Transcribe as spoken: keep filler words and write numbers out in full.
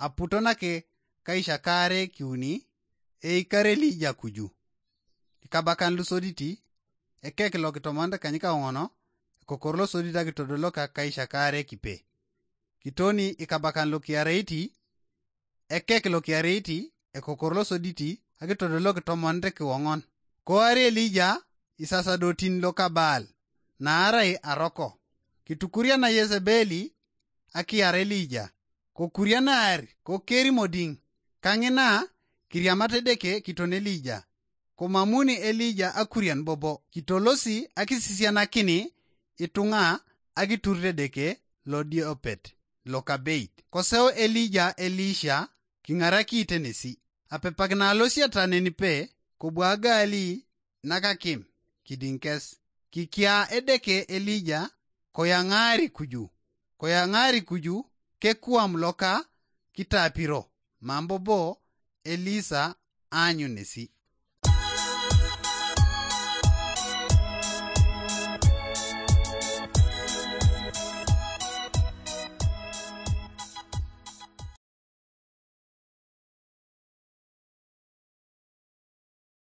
Aputo nake kaishakare kiuni, eikar Elija kuju. Ikabakan lusoditi, ekek lokitomonit kanyikaoŋono, ekokor losodit akitodolok kaishakare kipe. Kitoni ikabakan lokiareiti, ekek lokiareiti, ekokor losoditi akitodolok tomonit kiwoŋon. Koari Elija isasadotin loka Baal, naarai aroko. Kitukuriana Yezebeli akiar Elija, kokurianar kokerimodiŋ, kaŋina kiriamat Edeke kiton Elija. Komamuni Elija akurian bobo, kitolosi akisisianakini ituŋa akiturit Edeke lodiopet lokabeit. Koseu Elija Elisha kiŋaraki tenesi. Apepak nalosiata nenipe, kobwagali nakakim kidiŋ kes. Kikia Edeke Elija, koyaŋaari kuju, koyaŋaari kuju kekuam loka kitapiro, mam bobo Elisa aanyun nesi.